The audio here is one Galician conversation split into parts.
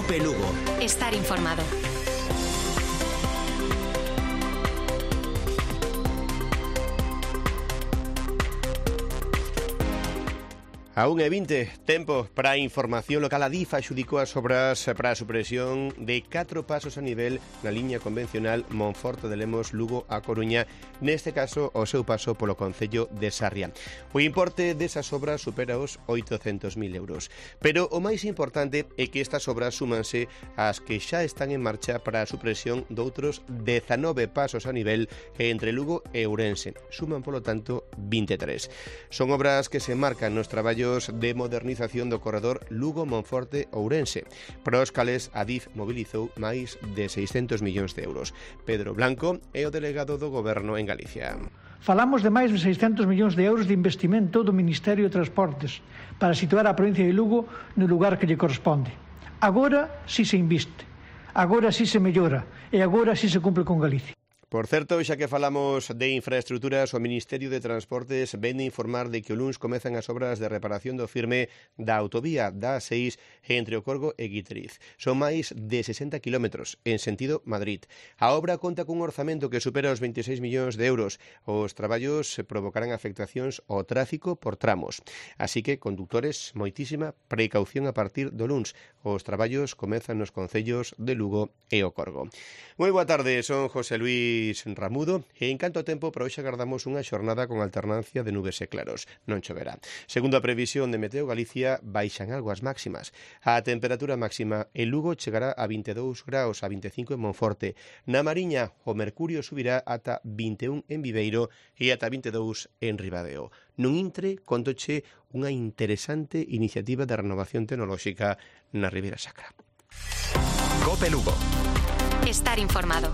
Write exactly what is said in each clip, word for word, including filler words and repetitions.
COPE Lugo. Estar informado. A unha e vinte, tempo para a información local. A DIF adxudicou as obras para a supresión de catro pasos a nivel na liña convencional Monforte de Lemos, Lugo a Coruña, neste caso o seu paso polo concello de Sarria. O importe desas obras supera os oitocentos mil euros. Pero o máis importante é que estas obras súmanse ás que xa están en marcha para a supresión doutros dezanove pasos a nivel entre Lugo e Ourense. Suman, polo tanto, vinte e tres. Son obras que se marcan nos traballos de modernización do corredor Lugo-Monforte-Ourense, para os cales a DIF mobilizou máis de seiscentos millóns de euros. Pedro Blanco é o delegado do Goberno en Galicia. Falamos de máis de seiscentos millóns de euros de investimento do Ministerio de Transportes para situar a provincia de Lugo no lugar que lle corresponde. Agora si se inviste, agora si se mellora e agora si se cumpre con Galicia. Por certo, xa que falamos de infraestruturas, o Ministerio de Transportes vén de informar de que o luns comezan as obras de reparación do firme da autovía da A seis entre o Corgo e Guiteriz. Son máis de sesenta kilómetros en sentido Madrid. A obra conta cun orzamento que supera os veintiséis millóns de euros. Os traballos provocarán afectacións ao tráfico por tramos. Así que, condutores, moitísima precaución a partir do luns. Os traballos comezan nos concellos de Lugo e o Corgo. Moi boa tarde, son José Luis Ramudo e en canto tempo para hoxe agardamos unha xornada con alternancia de nubes e claros. Non choverá. Segundo a previsión de Meteo Galicia, baixan algo as máximas. A temperatura máxima en Lugo chegará a vinte e dous graus, a vinte e cinco en Monforte. Na Mariña, o mercurio subirá ata vinte e un en Viveiro e ata vinte e dous en Ribadeo. Nun intre, contoche unha interesante iniciativa de renovación tecnolóxica na Ribeira Sacra. COPE Lugo. Estar informado.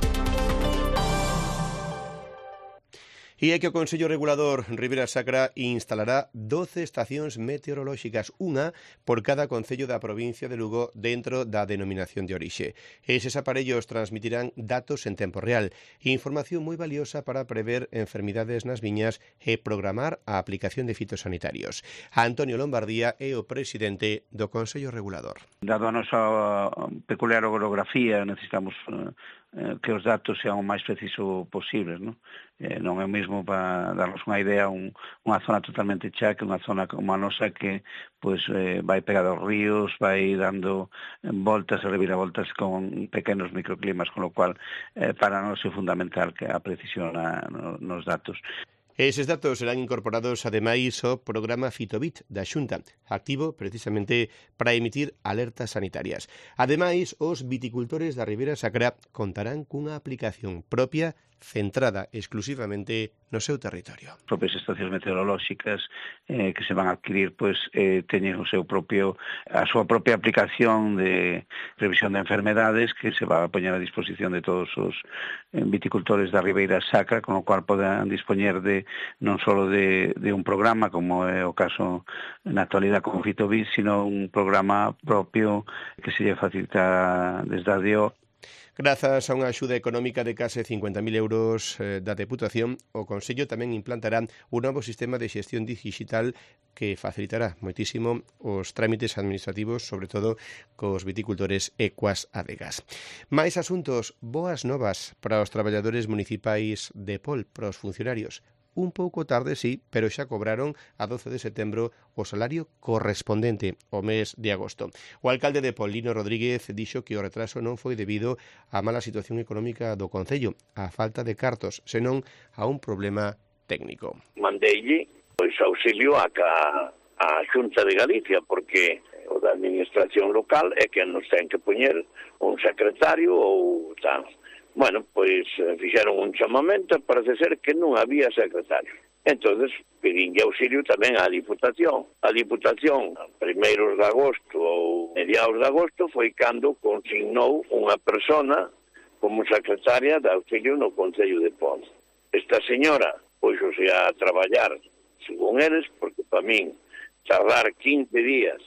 E é que o Consello Regulador Ribeira Sacra instalará doce estacións meteorolóxicas, unha por cada concello da provincia de Lugo dentro da denominación de orixe. Eses aparellos transmitirán datos en tempo real, información moi valiosa para prever enfermidades nas viñas e programar a aplicación de fitosanitarios. Antonio Lombardía é o presidente do Consello Regulador. Dado a nosa peculiar orografía, necesitamos que os datos sean o máis preciso posibles, non? Eh, non é o mesmo para darnos unha idea un, unha zona totalmente chá que unha zona como a nosa que pois, eh, vai pegada aos ríos, vai dando voltas e reviravoltas con pequenos microclimas, con lo cual eh, para nós é fundamental que a precisión na, no, nos datos. Eses datos serán incorporados ademais ao programa Fitobit da Xunta, activo precisamente para emitir alertas sanitarias. Ademais, os viticultores da Ribeira Sacra contarán cunha aplicación propia centrada exclusivamente no seu territorio. As propias estacións meteorolóxicas eh, que se van a adquirir pois eh, teñen o seu propio a súa propia aplicación de previsión de enfermedades que se va a poñer a disposición de todos os eh, viticultores da Ribeira Sacra, con o cual poderán dispoñer de non só de, de un programa como é o caso na actualidade con Fitobit, sino un programa propio que se lle facilita desde a D I O. Grazas a unha axuda económica de case cincuenta mil euros eh, da Deputación, o Consello tamén implantará un novo sistema de xestión digital que facilitará moitísimo os trámites administrativos, sobre todo cos viticultores e coas adegas. Mais asuntos, boas novas para os traballadores municipais de Pol, para os funcionarios. Un pouco tarde, sí, pero xa cobraron a doce de setembro o salario correspondente ao mes de agosto. O alcalde de Paulino Rodríguez dixo que o retraso non foi debido á mala situación económica do concello, á falta de cartos, senón a un problema técnico. Mandeille pois auxilio a, ca, a Xunta de Galicia, porque o da administración local é que nos ten que poñer un secretario ou tal. Bueno, pois fixeron un chamamento, parece ser que non había secretario. Entonces, pedinlle auxilio tamén á Diputación. A Diputación, primeiros de agosto ou mediados de agosto, foi cando consignou unha persona como secretaria de auxilio no Concello de Pol. Esta señora, pois, o sea, a traballar, según eles, porque para min, tardar quince días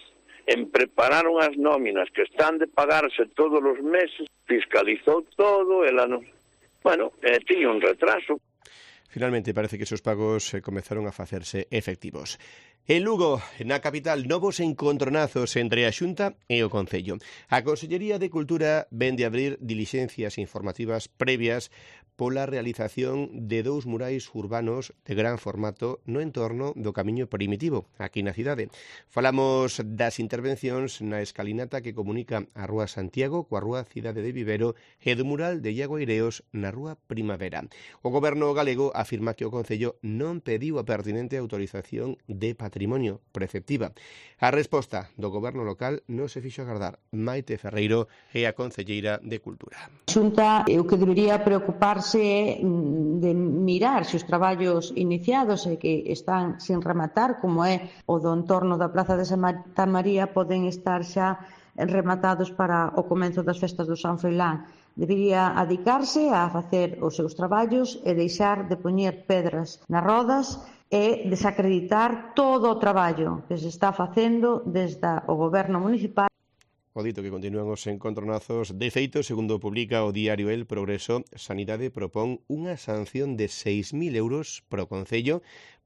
en preparar unhas nóminas que están de pagarse todos os meses, fiscalizou todo, ela non... Bueno, eh, tiña un retraso. Finalmente parece que esos pagos eh, comezaron a facerse efectivos. En Lugo, na capital, novos encontronazos entre a Xunta e o Concello. A Consellería de Cultura vende abrir dilixencias informativas previas pola realización de dous murais urbanos de gran formato no entorno do Camiño Primitivo, aquí na cidade. Falamos das intervencións na escalinata que comunica a Rúa Santiago coa Rúa Cidade de Vivero e do mural de Iago Aireos na Rúa Primavera. O Goberno galego afirma que o Concello non pediu a pertinente autorización de patrimonio preceptiva. A resposta do Goberno local non se fixo agardar. Maite Ferreiro é a concelleira de Cultura. A Xunta o que debería preocuparse é de mirar se os traballos iniciados e que están sin rematar, como é o do entorno da Praza de Santa María, poden estar xa rematados para o comenzo das festas do San Froilán. Debería adicarse a facer os seus traballos e deixar de poñer pedras nas rodas e desacreditar todo o traballo que se está facendo desde o Goberno municipal. O dito que continúan os encontronazos. De feito, segundo publica o diario El Progreso, Sanidade propón unha sanción de seis mil euros pro Concello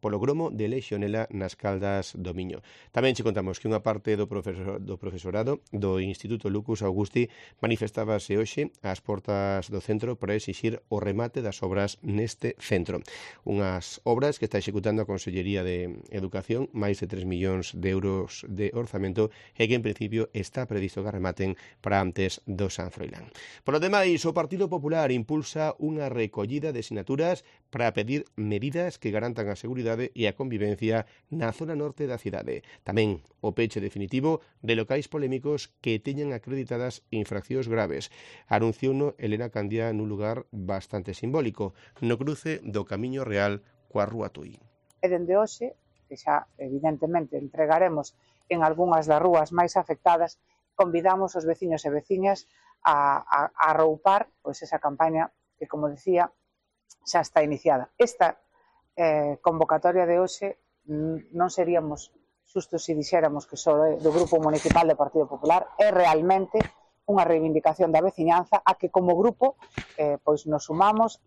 polo gromo de Lexionela nas Caldas do Miño. Tamén che contamos que unha parte do, profesor, do profesorado do Instituto Lucus Augusti manifestábase hoxe ás portas do centro para exixir o remate das obras neste centro. Unhas obras que está executando a Consellería de Educación, máis de tres millóns de euros de orzamento e que en principio está previsto que rematen para antes do San Froilán. Por lo demais, o Partido Popular impulsa unha recollida de sinaturas para pedir medidas que garantan a seguridade e a convivencia na zona norte da cidade. Tamén o peche definitivo de locais polémicos que teñan acreditadas infraccións graves. Anunciouno Elena Candía nun lugar bastante simbólico, no cruce do Camiño Real coa Rúa Tui. E dende hoxe, que xa evidentemente entregaremos en algunhas das rúas máis afectadas, convidamos os veciños e veciñas a, a, a arroupar pois, esa campaña que, como decía, xa está iniciada. Esta eh, convocatoria de hoxe non seríamos xustos se dixéramos que só é do Grupo Municipal do Partido Popular, é realmente unha reivindicación da veciñanza a que como grupo eh, pois nos sumamos.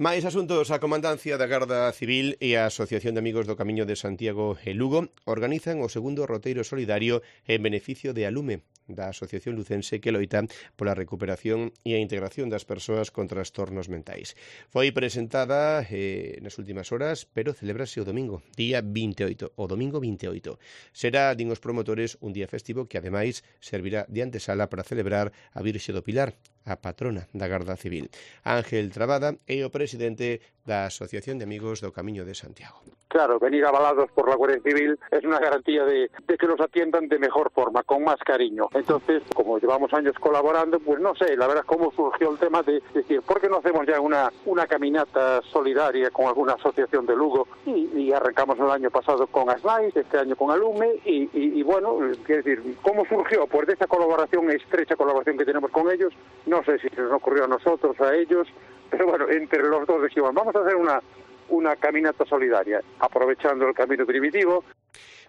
Mais asuntos, a Comandancia da Garda Civil e a Asociación de Amigos do Camiño de Santiago e Lugo organizan o segundo roteiro solidario en beneficio de Alume, da Asociación Lucense que loita pola recuperación e a integración das persoas con trastornos mentais. Foi presentada eh, nas últimas horas, pero celebrase o domingo, día vinte e oito, o domingo vinte e oito. Será, din os promotores, un día festivo que ademais servirá de antesala para celebrar a Virxe do Pilar, a patrona da Garda Civil. Ángel Trabada é o presidente da Asociación de Amigos do Camiño de Santiago. Claro, venir avalados por la Guardia Civil es una garantía de, de que nos atiendan de mejor forma, con más cariño. Entonces, como llevamos años colaborando, pues no sé, la verdad cómo surgió el tema de decir, ¿por qué no hacemos ya una, una caminata solidaria con alguna asociación de Lugo? Y, y arrancamos el año pasado con Asnais, este año con Alume, y, y, y bueno, quiero decir, ¿cómo surgió? Pues de esa colaboración, estrecha colaboración que tenemos con ellos, no sé si se nos ocurrió a nosotros, a ellos, pero bueno, entre los dos dijimos, vamos a hacer una, una caminata solidaria, aprovechando el camino primitivo.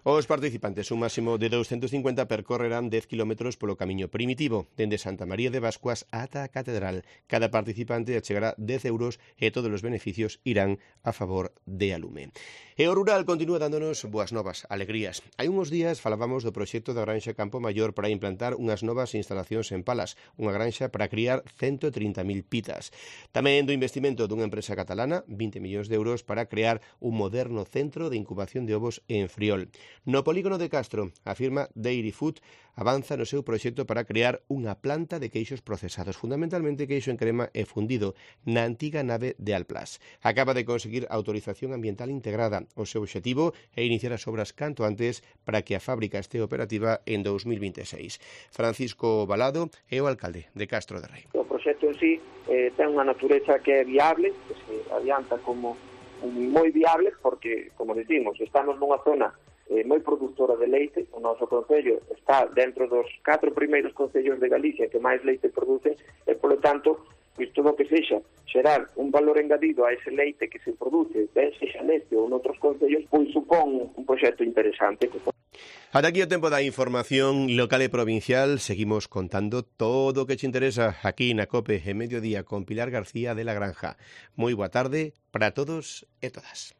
Os participantes, un máximo de doscientos cincuenta, percorrerán dez kilómetros polo camiño primitivo, dende Santa María de Bascuas ata a Catedral. Cada participante achegará dez euros e todos os beneficios irán a favor de Alume. E o rural continúa dándonos boas novas, alegrías. Hai uns días falábamos do proxecto da Granxa Campo Maior para implantar unhas novas instalacións en Palas, unha granxa para criar ciento trinta mil pitas. Tamén do investimento dunha empresa catalana, vinte millóns de euros para crear un moderno centro de incubación de ovos en Friol. No polígono de Castro, a firma Dairy Food avanza no seu proxecto para crear unha planta de queixos procesados, fundamentalmente queixo en crema e fundido, na antiga nave de Alplas. Acaba de conseguir autorización ambiental integrada. O seu obxectivo é iniciar as obras canto antes para que a fábrica este operativa en dos mil vinte e seis. Francisco Balado é o alcalde de Castro de Rei. O proxecto en sí eh, ten unha natureza que é viable, que se adianta como moi viable, porque, como decimos, estamos nunha zona eh, moi productora de leite. O noso concello está dentro dos catro primeiros concellos de Galicia que máis leite producen e, polo tanto, pois todo o que sexa xerar un valor engadido a ese leite que se produce, ben sexa neste ou noutros concellos, pois supón un proxecto interesante. Ata aquí o tempo da información local e provincial. Seguimos contando todo o que te interesa aquí na COPE en Mediodía con Pilar García de la Granja. Moi boa tarde para todos e todas.